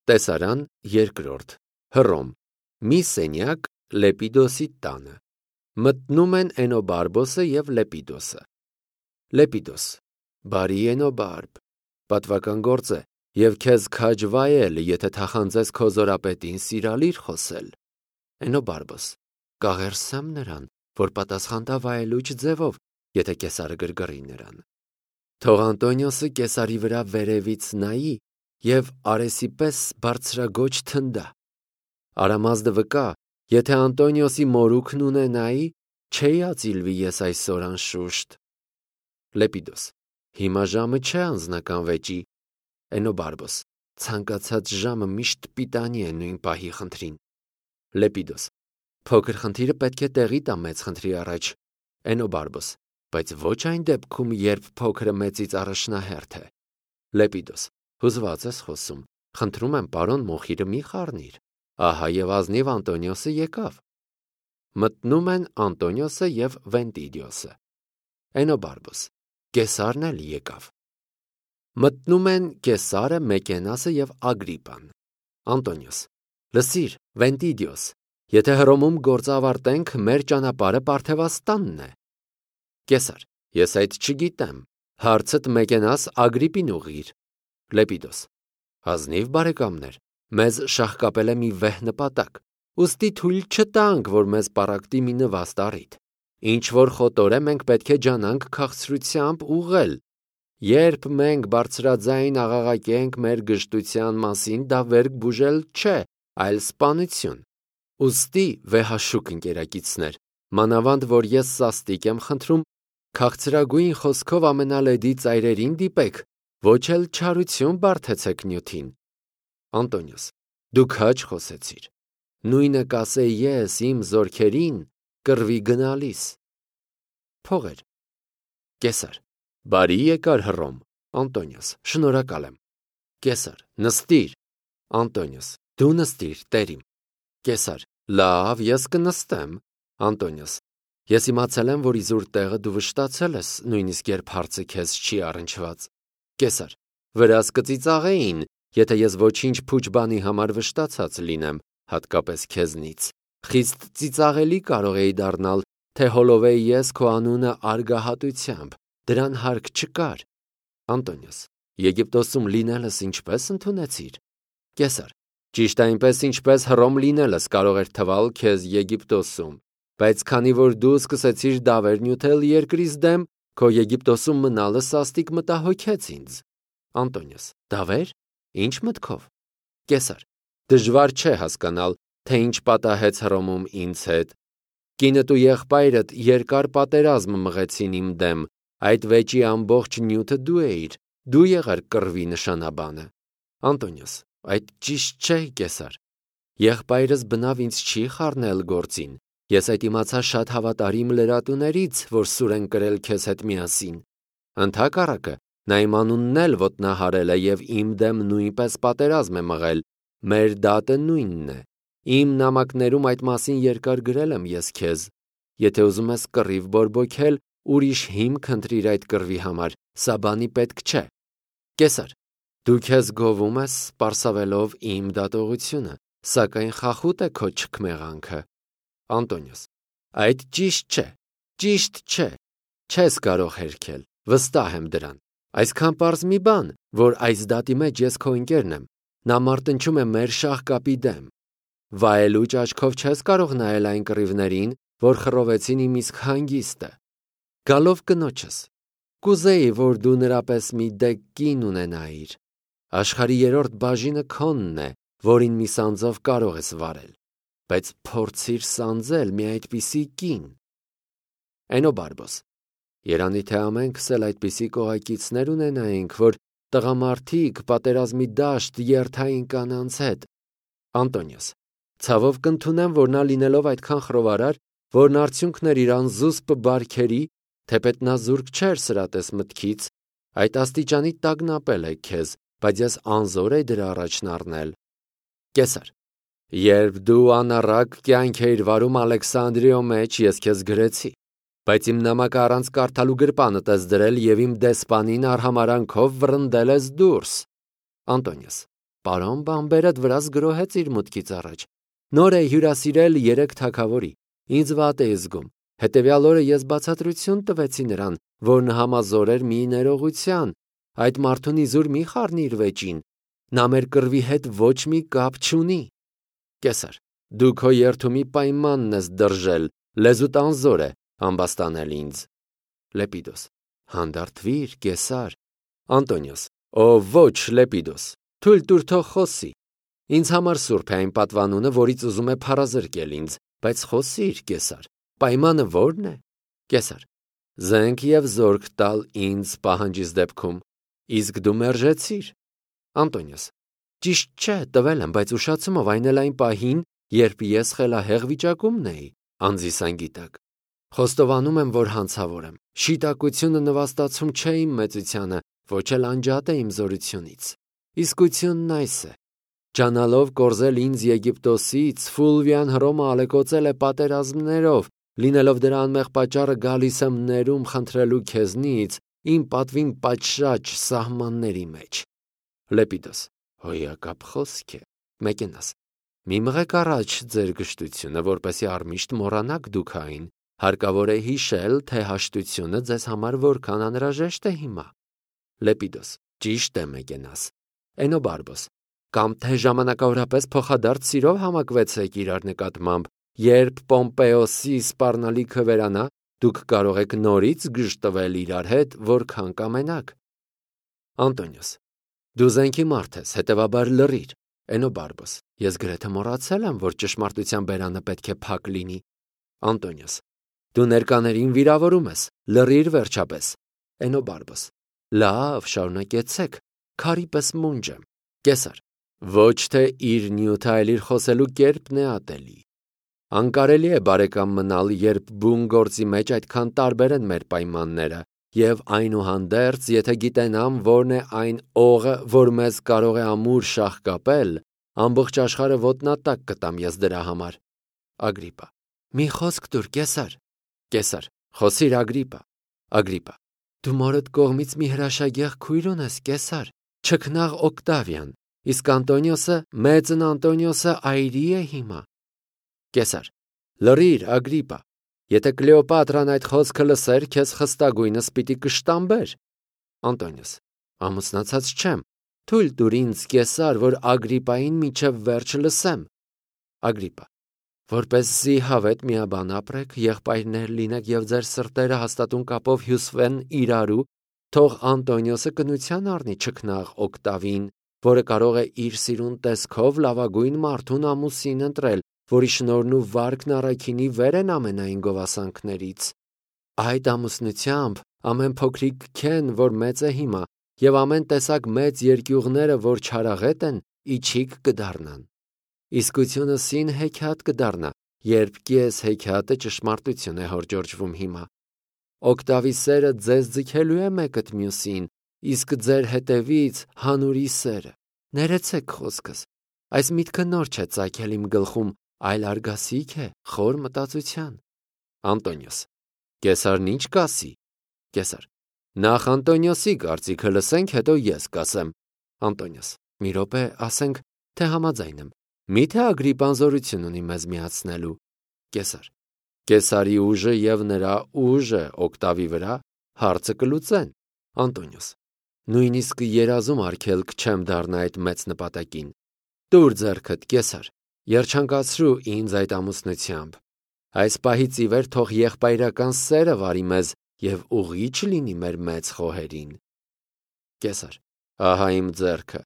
Տեսարան երկրորդ Հռոմ մի սենյակ Լեպիդոսի տանը մտնում են Էնոբարբոսը և Լեպիդոսը Լեպիդոս բարի Էնոբարբ պատվական գործ է և քեզ քաջ վայել եթե թախանձես քո զորապետին սիրալիր խոսել Էնոբարբոս կաղերսեմ նրան որ պատասխան տա վայելուչ ձևով եթե կեսարը գրգռի նրան թող Անտոնիոսը կեսարի վրա վերևից նայի և արեսի պես բարձրագոչ թնդա Արամազդը վկա եթե Անտոնիոսի մորուքն ունենայի չէի ածիլվի ես այսօր անշուշտ Լեպիդոս հիմա ժամը չէ անձնական վեճի Էնոբարբոս ցանկացած ժամը միշտ պիտանի է նույն պահի խնդրին Լեպիդոս փոքր խնդիրը պետք է տեղի տա մեծ խնդրի առաջ Էնոբարբոս բայց ոչ այն դեպքում երբ փոքրը մեծից առաջնահերթ է Լեպիդոս հուզված ես խոսում խնդրում եմ պարոն Մոխիրը մի խառնիր ահա և ազնիվ Անտոնիոսը եկավ մտնում են Անտոնիոսը և Վենտիդիոսը Էնոբարբոս կեսարն էլ եկավ մտնում են Կեսարը Մեկենասը և Ագրիպան Անտոնիոս լսիր Վենտիդիոս եթե Հռոմում գործ ավարտենք մեր ճանապարհը Պարթևաստանն է Կեսար ես այդ չգիտեմ հարցդ Մեկենաս Ագրիպին ուղղիր Լեպիդոս ազնիվ բարեկամներ մեզ շահկապել է մի վեհ նպատակ ուստի թույլ չտանք որ մեզ պառակտի մի նվաստ առիթ ինչ որ խոտոր է մենք պետք է ջանանք քաղցրությամբ ուղղել երբ մենք բարձրաձայն աղաղակենք մեր գժտության մասին դա վերք բուժել չէ այլ սպանություն ուստի վեհաշուկ ընկերակիցներ մանավանդ որ ես սաստիկ եմ խնդրում քաղցրագույն խոսքով ամենալեդի ծայրերին դիպեք ոչ էլ չարություն բարթեցեք նյութին Անտոնիոս դու քաջ խոսեցիր նույնը կասեի ես իմ զորքերին կռվի գնալիս Փողեր Կեսար բարի եկար Հռոմ Անտոնիոս շնորհակալ եմ Կեսար նստիր Անտոնիոս դու նստիր տերիմ Կեսար լավ ես կնստեմ Անտոնիոս ես իմացել եմ որ իզուր տեղը դու վշտացել ես նույնիսկ երբ հարցը քեզ չի առնչված Կեսար վրաս կծիծաղեին եթե ես ոչինչ փուչ բանի համար վշտացած լինեմ հատկապես քեզնից խիստ ծիծաղելի կարող էի դառնալ թե հոլովեի ես քո անունը արգահատությամբ դրան հարկ չկար Անտոնիոս Եգիպտոսում լինելս ինչպես ընդունեցիր Կեսար ճիշտ այնպես ինչպես Հռոմ լինելս կարող էր թվալ քեզ Եգիպտոսում բայց քանի որ դու սկսեցիր դավեր նյութել երկրից դեմ քո Եգիպտոսում մնալը սաստիկ մտահոգեց ինձ Անտոնիոս դավեր ինչ մտքով Կեսար դժվար չէ հասկանալ թե ինչ պատահեց Հռոմում ինձ հետ կինդ ու եղբայրդ երկար պատերազմ մղեցին իմ դեմ այդ վեճի ամբողջ նյութը դու էիր դու եղար կռվի նշանաբանը Անտոնիոս այդ ճիշտ չէ Կեսար եղբայրս բնավ ինձ չի խառնել գործին ես այդ իմացա շատ հավատարիմ լրատուներից որ սուր են կրել քեզ հետ միասին ընդհակառակը նա իմ անունն էլ ոտնահարել է և իմ դեմ նույնպես պատերազմ է մղել մեր դատը նույնն է իմ նամակներում այդ մասին երկար գրել եմ ես քեզ եթե ուզում ես կռիվ բորբոքել ուրիշ հիմք ընտրիր այդ կռվի համար սա բանի պետք չէ Կեսար դու քեզ գովում ես պարսավելով իմ դատողությունը սակայն խախուտ է քո չքմեղանքը Անտոնիոս այդ ճիշտ չէ չես կարող հերքել վստահ եմ դրան այսքան պարզ մի բան որ այս դատի մեջ ես քո ընկերն եմ նա մարտնչում է մեր շահկապի դեմ վայելուչ աչքով չես կարող նայել այն կռիվներին որ խռովեցին իմ իսկ հանգիստը գալով կնոջս կուզեի որ դու նրա պես մի դեպ կին ունենայիր աշխարհի երրորդ բաժինը քոնն է որին մի սանձով կարող ես վարել բայց փորձիր սանձել մի այդպիսի կին Էնոբարբոս երանի թե ամենքս էլ այդպիսի կողակիցներ ունենայինք որ տղամարդիկ պատերազմի դաշտ երթային կանանց հետ Անտոնիոս ցավով կընդունեմ որ նա լինելով այդքան խռովարար որն արդյունքն էր իր անզուսպ բարքերի թեպետ նա զուրկ չէր սրատես մտքից այդ աստիճանի տագնապել է քեզ բայց ես անզոր էի դրա առաջն առնել Կեսար երբ դու անառակ կյանք էիր վարում Ալեքսանդրիո մեջ ես քեզ գրեցի բայց իմ նամակը առանց կարդալու գրպանդ ես դրել և իմ դեսպանին արհամարանքով վռնդել ես դուրս Անտոնիոս պարոն բամբերդ վրաս գրոհեց իր մուտքից առաջ։ Նոր է հյուրասիրել 3 թագավորի։ Ինձ վատ է զգում։ Հետևյալ օրը ես բացատրություն տվեցի նրան, որն համազոր էր մի ներողության։ Այդ մարդուն իզուր մի խառնիր վեճին։ Նա մեր կռվի հետ ոչ մի կապ չունի։ Կեսար, դու քո երթումի պայմանն ես դրժել, լեզուտ անզոր է ամբաստանել ինձ։ Լեպիդոս. հանդարտվիր, Կեսար։ Անտոնիոս. Ո ոչ, Լեպիդոս, թույլ տուր թող խոսի։ Ինձ համար սուրբ է այն պատվանունը, որից ուզում է փարազրկել ինձ, բայց խոսիր, Կեսար, պայմանը ո՞րն է։ Կեսար. զենք եւ զորք տալ ինձ պահանջիս դեպքում, իսկ դու մերժեցիր։ Անտոնիոս. ճիշտ չէ, տվել եմ, բայց ուշացումով այն էլ այն պահին, երբ ես խելահեղ վիճակումն էի, անձիս անգիտակ։ Խոստովանում եմ, որ հանցավոր եմ։ Շիտակությունը նվաստացում չէ իմ մեծությանը, ոչ էլ անջատ է իմ զորությունից։ Իսկությունն այս է. ջանալով կորզել ինձ Եգիպտոսից, Ֆուլվիան Հռոմը ալեկոծել է պատերազմներով, լինելով դրա անմեղ պատճառը գալիս եմ ներում խնդրելու քեզնից իմ պատվին պատշաճ սահմանների մեջ։ Լեպիդոս. հոյակապ խոսք է։ Մեկենաս. մի մղեք առաջ ձեր գժտությունը, որպեսզի առմիշտ մոռանաք դուք այն։ Հարկավոր է հիշել, թե հաշտությունը ձեզ համար որքան անհրաժեշտ է հիմա։ Լեպիդոս. ճիշտ է, Մեկենաս։ Էնոբարբոս. կամ թե ժամանակավորապես փոխադարձ սիրով համակվեցեք իրար նկատմամբ, երբ Պոմպեոսի սպառնալիքը վերանա, դուք կարող եք նորից գժտվել իրար հետ, որքան կամենաք։ Անտոնիոս. դու զենքի մարդ ես, հետևաբար լռիր։ Էնոբարբոս. ես գրեթե մոռացել եմ, որ ճշմարտության բերանը պետք է փակ լինի։ Անտոնիոս. դու ներկաներին վիրավորում ես, լռիր վերջապես։ Էնոբարբոս. լավ, շարունակեցեք, քարի պես մունջ եմ։ Կեսար. ոչ թե իր նյութը, այլ իր խոսելու կերպն է ատելի։ Անկարելի է բարեկամ մնալ, երբ բուն գործի մեջ այդքան տարբեր են մեր պայմանները, եւ այնուհանդերձ, եթե գիտենամ, որն է այն օղը, որ մեզ կարող է ամուր շաղ կապել, ամբողջ աշխարհը ոտնատակ կտամ ես դրա համար։ Ագրիպա. մի խոսք տուր, Կեսար։ Կեսար. խոսիր, Ագրիպա։ Ագրիպա. դու մորդ կողմից մի հրաշագեղ քույր ունես, Կեսար, չքնաղ Օկտավիան, իսկ Անտոնիոսը, մեծն Անտոնիոսը այրի է հիմա։ Կեսար. լռիր, Ագրիպա, եթե Կլեոպատրան այդ խոսքը լսեր, քեզ խստագույնս պիտի կշտամբեր։ Անտոնիոս. ամուսնացած չեմ, թույլ տուր ինձ, Կեսար, որ Ագրիպային մինչև վերջ լսեմ։ Ագրիպա. որպեսզի հավետ միաբան ապրեք, եղբայրներ լինեք եւ ձեր սրտերը հաստատուն կապով հյուսվեն իրարու, թող Անտոնիոսը կնության առնի չքնաղ Օկտավին, որը կարող է իր սիրուն տեսքով լավագույն մարդուն ամուսին ընտրել, որի շնորհն ու վարկն առաքինի վեր են ամենայն գովասանքներից։ Այդ ամուսնությամբ ամեն փոքրիկ քեն, որ մեծ է հիմա, եւ ամեն տեսակ մեծ երկյուղները, որ չարաղետ են, իջիկ կդառնան։ Իսկությունը սին հեքիաթ կդառնա, երբ կես հեքիաթը ճշմարտություն է հորջորջվում հիմա։ Օկտավի սերը ձեզ ձգելու է մեկըդ մյուսին, իսկ ձեր հետևից հանուրի սերը։ Ներեցեք խոսքս։ Այս միտքը նոր չէ ծագել իմ գլխում, այլ արգասիք է խոր մտածության։ Անտոնիոս. Կեսարն ինչ կասի։ Կեսար. նախ Անտոնիոսի կարծիքը լսենք, հետո ես կասեմ։ Անտոնիոս. մի րոպե, ասենք, թե համաձայն եմ։ Միթե Ագրիպան զորություն ունի մեզ միացնելու։ Կեսար. Կեսարի ուժը եւ նրա ուժը Օկտավի վրա հարցը կլուծեն։ Անտոնիոս. նույնիսկ երազում արգելք չեմ դառնա այդ մեծ նպատակին։ Տուր ձեռքդ, Կեսար, երջանկացրու ինձ այդ ամուսնությամբ։ Այս պահից ի վեր թող եղբայրական սերը վարի մեզ եւ ուղիչ լինի մեր մեծ խոհերին։ Կեսար. ահա իմ ձեռքը։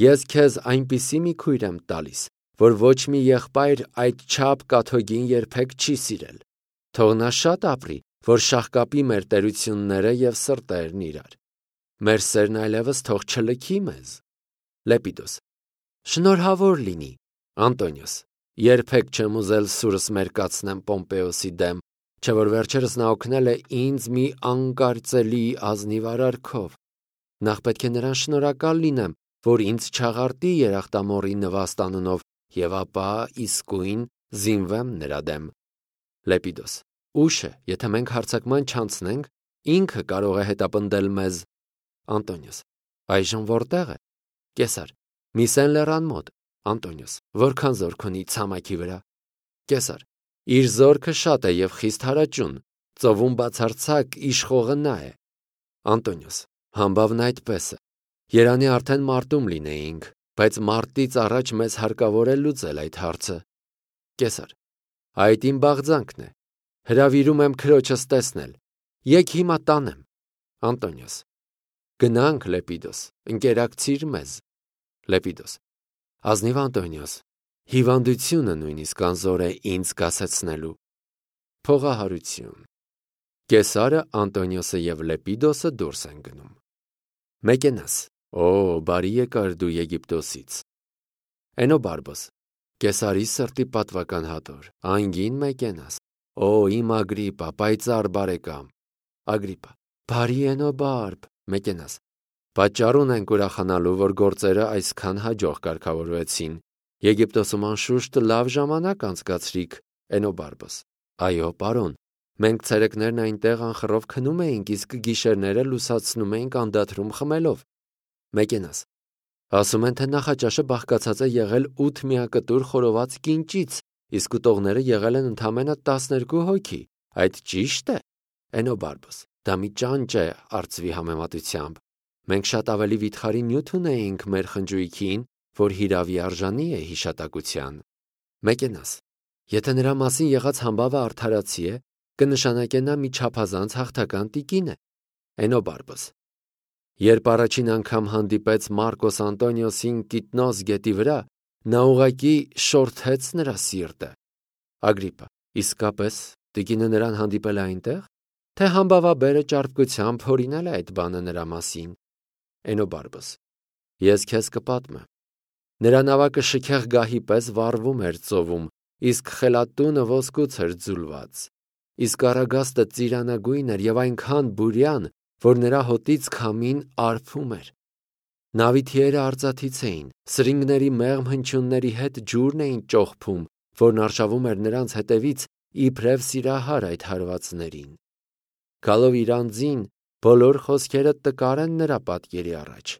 Ես քեզ այնպիսի մի քույր եմ տալիս, որ ոչ մի եղբայր այդ չափ կաթոգին երբեք չի սիրել։ Թող նա շատ ապրի, որ շաղկապի մեր տերությունները եւ սրտերն իրար։ Մեր սերն այլևս թող չլքի մեզ։ Լեպիդոս. շնորհավոր լինի։ Անտոնիոս. երբեք չեմ ուզել սուրս մերկացնեմ Պոմպեոսի դեմ, չէ որ վերջերս նա օգնել է ինձ մի անկարծելի ազնիվ արարքով։ Նախ պետք է նրան շնորհակալ լինեմ, որ ինձ չաղարտի երախտամոռի նվաստ անունով, եւ ապա իսկույն զինվեմ նրա դեմ։ Լեպիդոս. ուշ է, եթե մենք հարձակման չանցնենք, ինքը կարող է հետապնդել մեզ։ Անտոնիոս. այժմ որտեղ է։ Կեսար. Միսեն լեռան մոտ։ Անտոնիոս. Որքան զորք ունի ցամաքի վրա։ Կեսար. Իր զորքը շատ է եւ խիստ հարաճուն, ծովում բացարձակ իշխողը նա է։ Անտոնիոս. Համբավն այդպես է։ Երանի արդեն մարտում լինեինք, բայց մարտից առաջ մեզ հարկավոր է լուծել այդ հարցը։ Կեսար. Այդ իմ բաղձանքն է։ Հրավիրում եմ քրոջս տեսնել։ Եկ հիմա տանեմ։ Անտոնիոս. Գնանք, Լեպիդոս, ընկերակցիր մեզ։ Լեպիդոս. Ազնիվ Անտոնիոս, հիվանդությունը նույնիսկ անզոր է ինձ կասեցնելու։ Փողահարություն։ Կեսարը, Անտոնիոսը եւ Լեպիդոսը դուրս են գնում։ Մեկենաս. Օ, բարի եկար դու Եգիպտոսից։ Էնոբարբոս. Կեսարի սրտի պատվական հատոր, անգին Մեկենաս։ Օ, իմ Ագրիպա, պայծառ բարեկամ։ Ագրիպա. Բարի Էնոբարբ։ Մեկենաս. Պատճառ ունենք ուրախանալու, որ գործերը այսքան հաջող կարգավորվեցին։ Եգիպտոսում անշուշտ լավ ժամանակ անցկացրիք։ Էնոբարբոս. Այո, պարոն, մենք ցերեկներն այնտեղ անխռով քնում էինք, իսկ գիշերները լուսացնում էինք անդադրում խմելով։ Մեկենաս. Ասում են, թե նախաճաշը բաղկացած է եղել 8 միակտուր խորոված կինճից, իսկ ուտողները եղել են ընդամենը 12 հոգի։ Այդ ճիշտ է։ Էնոբարբոս. Դա մի ճանճ է արծվի համեմատությամբ։ Մենք շատ ավելի վիթխարի նյութ ունեինք մեր խնջույքին, որ հիրավի արժանի է հիշատակության։ Մեկենաս. Եթե նրա մասին եղած համբավը արդարացի է, կնշանակե նա մի չափազանց հաղթական տիկին է։ Էնոբարբոս. Երբ առաջին անգամ հանդիպեց Մարկոս Անտոնիոսին Կիտնոս գետի վրա, նա ուղղակի շորթեց նրա սիրտը։ Ագրիպա. Իսկապես, տիկինը նրան հանդիպել է այնտեղ, թե համբավաբերը ճարպկությամբ հորինել է այդ բանը նրա մասին։ Էնոբարբոս. Ես քեզ կպատմեմ։ Նրա նավակը շքեղ գահի պես վառվում էր ծովում, իսկ խելատունը ոսկուց էր ձուլված։ Իսկ առագաստը ծիրանագույն էր եւ այնքան բուրյան, որ նրա հոտից քամին արփում էր։ Նավի թիերը արծաթից էին, սրինգների մեղմ հնչյունների հետ ջուրն էին ճոխփում, որն արշավում էր նրանց հետևից իբրև սիրահար այդ հարվածներին։ Գալով իր անձին, բոլոր խոսքերը տկար են նրա պատկերի առաջ։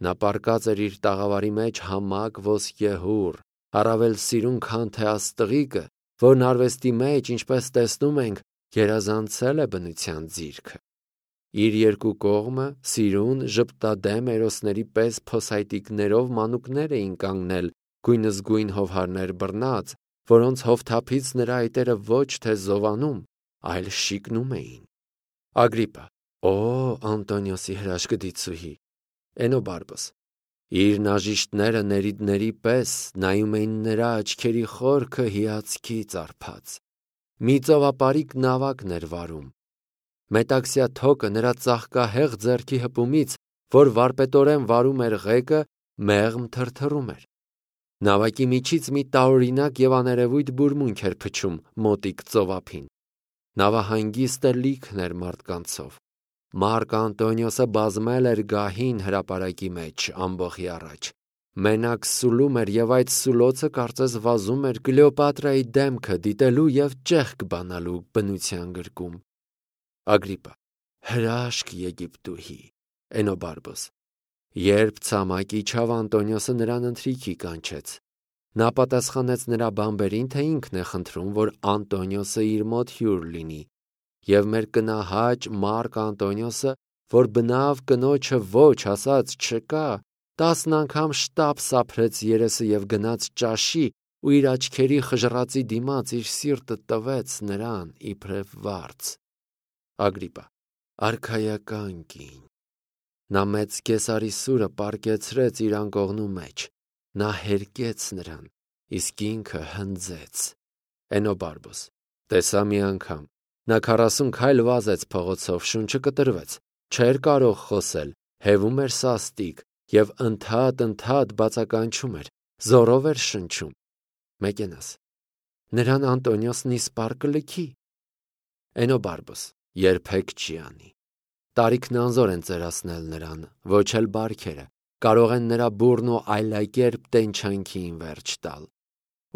Նա պառկած էր իր տաղավարի մեջ համակ ոսկեհուռ, առավել սիրուն, քան թե աստղիկը, որն արվեստի մեջ, ինչպես տեսնում ենք, գերազանցել է բնության ձիրքը։ Իր երկու կողմը սիրուն, ժպտադեմ էրոսների պես փոսայտիկներով մանուկներ էին կանգնել, գույնզգույն հովհարներ բռնած, որոնց հովթափից նրա այտերը ոչ թե զովանում, այլ շիկնում էին։ Ագրիպա. Օ, Անտոնիոսի հրաշքդիցուհի։ Էնոբարբոս. Իր նաժիշտները ներիդների պես նայում էին նրա աչքերի խորքը հիացքից արբած։ Մի ծովապարիկ նավակն էր վարում։ Մետաքսյա թոկը նրա ծաղկահեղ ձեռքի հպումից, որ վարպետորեն վարում էր ղեկը, մեղմ թրթռում էր։ Նավակի միջից մի տարօրինակ եւ աներևույթ բուրմունք էր փչում մոտիկ ծովափին։ Նավը հանգիստ է լիքն էր մարդկանցով։ Մարկ Անտոնիոսը բազմել էր գահին հրապարակի մեջ ամբոխի առաջ։ Մենակ սուլում էր եւ այդ սուլոցը կարծես վազում էր Կլեոպատրայի դեմքը դիտելու եւ ճեղք բանալու բնության գրկում։ Ագրիպա. Հրաշք Եգիպտուհի։ Էնոբարբոս. Երբ ցամաք իջավ, Անտոնիոսը նրան ընթրիքի կանչեց։ Նա պատասխանեց նրա բամբերին, թե ինքն է խնդրում, որ Անտոնիոսը իր մոտ հյուր լինի, եւ մեր կնահաճ Մարկ Անտոնիոսը, որ բնավ կնոջը ոչ ասած չկա, 10 անգամ շտապ սափրեց երեսը եւ գնաց ճաշի ու իր աչքերի խժռածի դիմաց իր սիրտը տվեց նրան իբրև վարձ։ Ագրիպա. Արքայական կին։ Նա մեծ կեսարի սուրը պառկեցրեց իր անկողնու մեջ։ Նա հերկեց նրան, իսկ ինքը հնձեց։ Էնոբարբոս. Տեսա մի անգամ։ Նա 40 քայլ վազեց փողոցով, շունչը կտրվեց, չէր կարող խոսել, հևում էր սաստիկ եւ ընդհատ բացականչում էր, զորով էր շնչում։ Մեկենաս. Նրան Անտոնիոսն իսպառ կլքի։ Էնոբարբոս. Երբեք չի անի։ Տարիքն անզոր են ծերացնել նրան, ոչ էլ բարքերը, կարող են նրա բուրն ու այլակերպ տենչանքին վերջ տալ։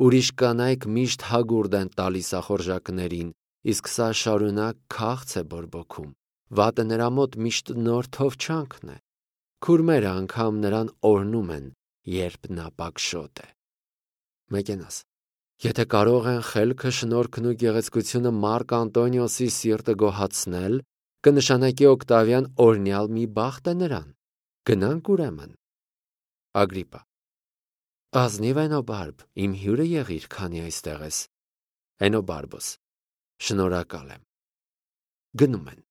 Ուրիշ կանայք միշտ հագուրդ են տալիս ախորժակներին, իսկ սա շարունակ քաղց է բորբոքում։ Վատը նրա մոտ միշտ նոր թովչանքն է։ Քուրմերը անգամ նրան օրհնում են, երբ նա պակշոտ է։ Մեկենաս. Եթե կարող են խելքը, շնորհքն ու գեղեցկությունը Մարկ Անտոնիոսի սիրտը գոհացնել, կնշանակի Օկտավիան օրհնյալ մի բախտ է նրան։ Գնանք ուրեմն։ Ագրիպա. Ազնիվ Էնոբարբ, իմ հյուրը եղիր, քանի այստեղ ես։ Էնոբարբոս. Շնորհակալ եմ։ Գնում են։